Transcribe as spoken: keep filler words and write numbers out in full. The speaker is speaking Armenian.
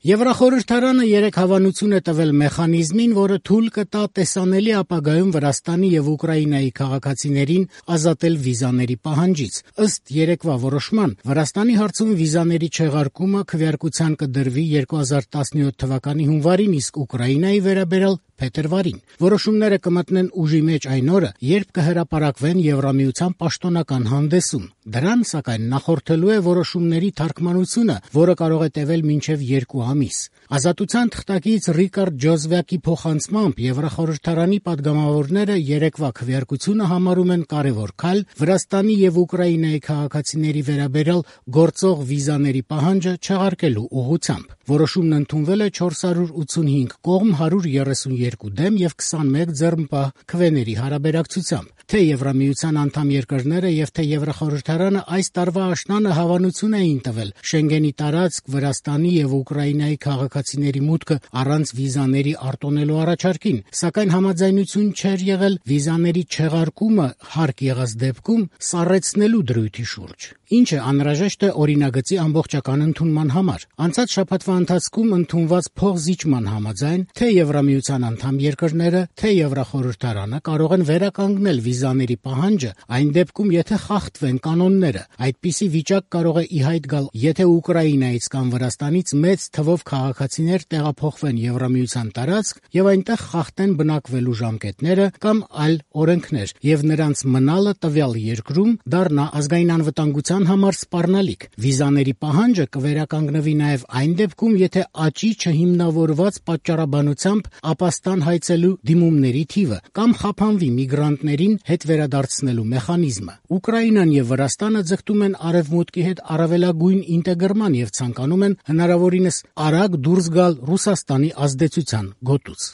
Եվրախորհրդարանը երեկ հավանություն է տվել մեխանիզմին, որը թույլ կտա տեսանելի ապագայում Վրաստանի եւ Ուկրաինայի քաղաքացիներին ազատել վիզաների պահանջից։ Ըստ երեկվա որոշման, Վրաստանի հարցում վիզաների չեղարկումը քվեարկության կդրվի երկու հազար տասնյոթ թվականի հունվարին, իսկ Ուկրաինայի վերաբերյալ փետրվարին։ Որոշումները կմտնեն ուժի մեջ այն օրը, երբ կհրապարակվեն Եվրամիության պաշտոնական հանդեսում։ Դրան, սակայն, նախորդելու է որոշումների թարգմանությունը, որը կարող է տևել մինչև երկու ամիս։ Ազատության թղթակից Ռիկարդ Ջոզվակի փոխանցմամբ Եվրախորհրդարանի падգամավորները երեկվա քվեարկությունը համարում են կարևոր քայլ Վրաստանի եւ Ուկրաինայի քաղաքացիների վերաբերյալ գործող վիզաների պահանջը չեղարկելու ուղղությամբ։ Որոշումն ընդունվել է չորս հարյուր ութսունհինգ կողմ, հարյուր երեսունյոթ դեմ եւ քսանմեկ ձեռնպահ քվեների հարաբերակցությամբ։ Թե Եվրամիության անդամ երկրները եւ թե Եվրախորհրդարանը այս տարվա աշնանը հավանություն էին տվել Շենգենի տարածք Վրաստանի եւ Ուկրաինայի քաղաքացիների մուտքը առանց վիզաների արտոնելու առաջարկին, սակայն համաձայնություն չէր եղել վիզաների չեղարկումը հարկ եղած դեպքում սառեցնելու դրույթի շուրջ, ինչը անհրաժեշտ է օրինագծի ամբողջական ընդունման համար։ Անցած շաբաթվա ընթացքում ընդունված փոխզիջման համաձայն թե Եվրամիության անդամ երկրները, թե Եվրախորհրդարանը կարող են վերականգնել վիզաների պահանջը այն դեպքում, եթե խախտվեն կանոնները։ Այդպիսի վիճակ կարող է ի հայտ գալ, եթե Ուկրաինայից կամ Վրաստանից մեծ թվով քաղաքացիներ տեղափոխվեն Եվրամիության տարածք եւ այնտեղ խախտեն բնակվելու ժամկետները կամ այլ օրենքներ, եւ նրանց մնալը տվյալ երկրում դառնա ազգային անվտանգության համար սպառնալիք։ Վիզաների պահանջը կվերականգնվի նաեւ այն դեպքում, եթե աճի չհիմնավորված պատճառաբանությամբ ապաստան հայցելու դիմումների թիվը կամ խափանվի միգրանտներին հետ վերադարձնելու մեխանիզմը։ Ուկրաինան եւ Վրաստանը ձգտում են Արևմուտքի հետ առավելագույն ինտեգրման եւ ցանկանում են հնարավորինս արագ դուրս գալ Ռուսաստանի ազդեցության գոտուց։